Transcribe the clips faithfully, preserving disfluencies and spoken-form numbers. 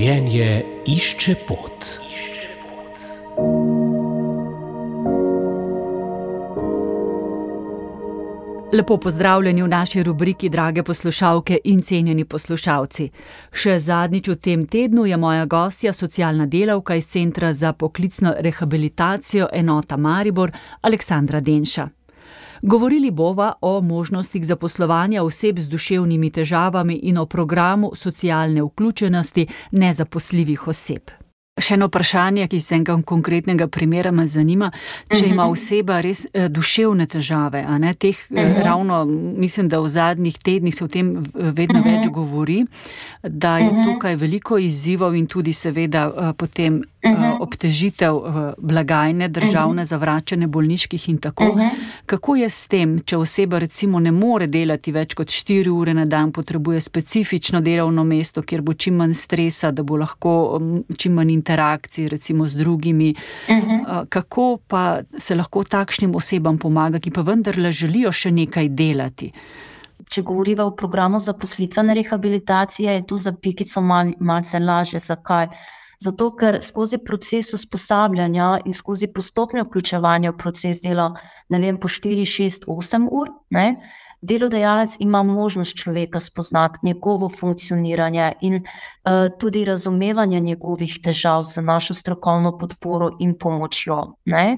Življenje išče pot. Lepo pozdravljeni v naši rubriki, drage poslušalke in cenjeni poslušalci. Še zadnjič v tem tednu je moja gostja socialna delavka iz Centra za poklicno rehabilitacijo enota Maribor, Aleksandra Denša. Govorili bova o možnostih zaposlovanja oseb z duševnimi težavami in o programu socialne vključenosti nezaposljivih oseb. Še eno vprašanje, ki iz enega konkretnega primera me zanima, če ima oseba res eh, duševne težave, a ne teh eh, ravno, mislim, da v zadnjih tednih se o tem vedno več govori, da je tukaj veliko izzivov in tudi seveda eh, potem eh, obtežitev eh, blagajne, državne za vračanje bolniških in tako. Kako je s tem, če oseba recimo ne more delati več kot štiri ure na dan, potrebuje specifično delovno mesto, kjer bo čim manj stresa, da bo lahko čim manj interakciji recimo z drugimi. Uh-huh. Kako pa se lahko takšnim osebam pomaga, ki pa vendarle želijo še nekaj delati? Če govoriva o programu zaposlitvene rehabilitacije, je tu za pikico mal, malce lažje. Zakaj? Zato, ker skozi proces usposabljanja in skozi postopno vključevanje v proces dela, ne vem, po štiri, šest, osem ur, ne, delodajalec ima možnost človeka spoznati njegovo funkcioniranje in uh, tudi razumevanje njegovih težav z našo strokovno podporo in pomočjo. Ne?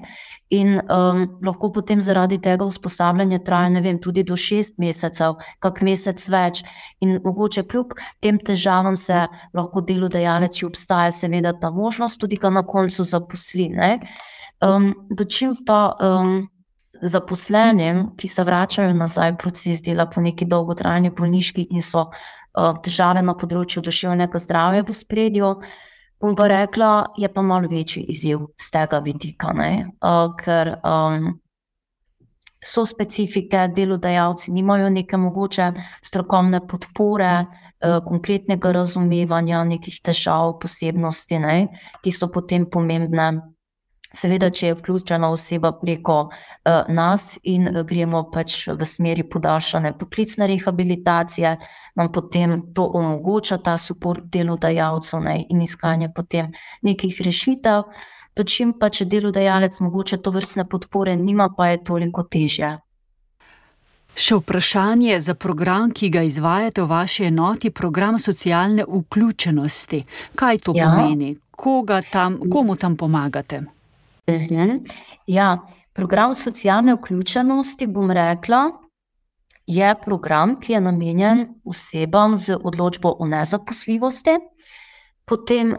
In um, lahko potem zaradi tega usposabljanja traja, ne vem, tudi do šest mesecev, kak mesec več. In mogoče kljub tem težavam se lahko delodajalec, če obstaja seveda ta možnost, tudi ga na koncu zaposli. Ne? Um, dočim pa um, zaposlenim, ki se vračajo nazaj v proces dela po neki dolgotrajni bolniški in so uh, težave na področju duševnega zdravja v ospredju, bom pa rekla, je pa malo večji izziv z tega vidika, ne? Uh, ker um, so specifike, delodajalci nimajo neke mogoče strokovne podpore, uh, konkretnega razumevanja nekih težav, posebnosti, ne? Ki so potem pomembne. Seveda, če je vključena oseba preko uh, nas in uh, gremo pač v smeri podaljšane poklicne rehabilitacije, nam potem to omogoča ta suport delodajalcev, ne, in iskanje potem nekih rešitev. Dočim pa, če delodajalec mogoče to vrstne podpore nima, pa je toliko težje. Še vprašanje za program, ki ga izvajate v vaši enoti, program socialne vključenosti. Kaj to ja. pomeni? Koga tam, komu tam pomagate? Ja, program socialne vključenosti, bom rekla, je program, ki je namenjen osebam z odločbo o nezaposljivosti, potem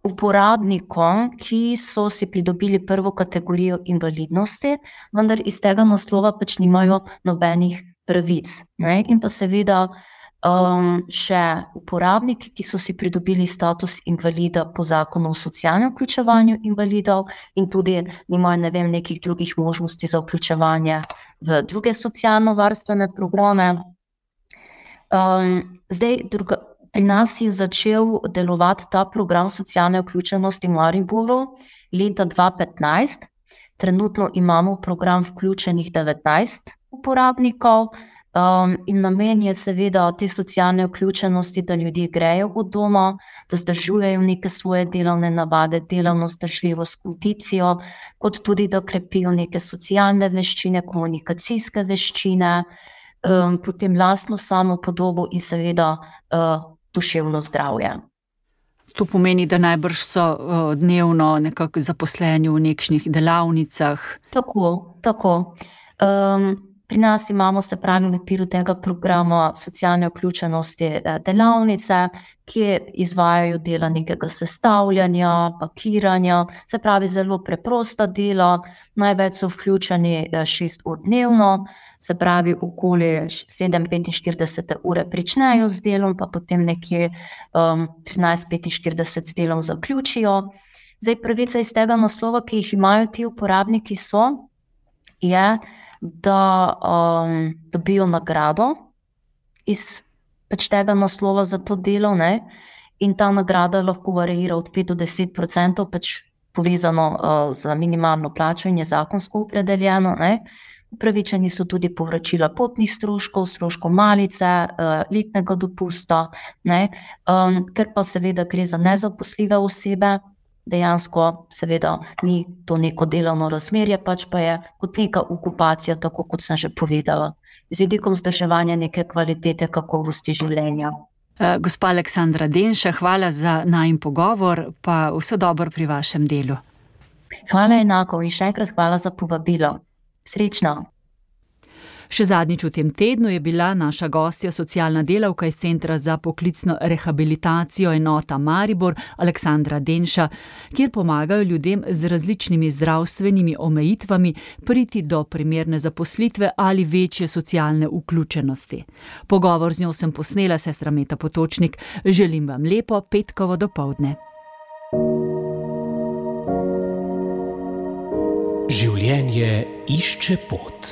uporabnikom, ki so si pridobili prvo kategorijo invalidnosti, vendar iz tega naslova pač nimajo nobenih pravic. Ne? In pa seveda Um, še uporabniki, ki so si pridobili status invalida po zakonu o socialnem vključevanju invalidov in tudi nimajo, ne vem, nekih drugih možnosti za vključevanje v druge socialno-varstvene programe. Um, zdaj, druga, pri nas je začel delovati ta program socialne vključenosti v Mariboru leta dva tisoč petnajst. Trenutno imamo v program vključenih devetnajst uporabnikov. Um, in namen je seveda te socialne vključenosti, da ljudje grejo od doma, da zdržujejo neke svoje delovne navade, delovno zdržljivost, kondicijo, kot tudi da krepijo neke socialne veščine, komunikacijske veščine, um, potem lastno samopodobo in seveda uh, duševno zdravje. To pomeni, da najbrž so uh, dnevno nekako zaposleni v nekšnih delavnicah. Tako, tako. Um, Pri nas imamo, se pravi, v okviru tega programa socialne vključenosti delavnice, ki izvajajo dela nekega sestavljanja, pakiranja, se pravi zelo preprosta dela, največ so vključeni šest ur dnevno, se pravi okoli sedem petinštirideset ure pričnejo z delom, pa potem nekje um, trinajst petinštirideset z delom zaključijo. Zdaj, pravica iz tega naslova, ki jih imajo ti uporabniki, so, je, da um, dobijo nagrado iz pač tega naslova za to delo, ne? In ta nagrada lahko variira od pet do deset procentov, pač povezano uh, z minimalno plačo in je zakonsko opredeljeno, ne? Upravičeni so tudi povračila potnih stroškov, stroškov malice, letnega dopusta, ne, ker pa seveda gre za nezaposljive osebe, dejansko seveda ni to neko delovno razmerje, pač pa je kot neka okupacija, tako kot sem že povedala, z vidikom vzdrževanja neke kvalitete, kakovosti življenja. Gospa Aleksandra Denša, hvala za najin pogovor, pa vse dobro pri vašem delu. Hvala enako in še enkrat hvala za povabilo. Srečno. Še zadnjič v tem tednu je bila naša gostja socialna delavka iz Centra za poklicno rehabilitacijo enota Maribor, Aleksandra Denša, kjer pomagajo ljudem z različnimi zdravstvenimi omejitvami priti do primerne zaposlitve ali večje socialne vključenosti. Pogovor z njo sem posnela, sestra Meta Potočnik. Želim vam lepo petkovo dopoldne. Življenje išče pot.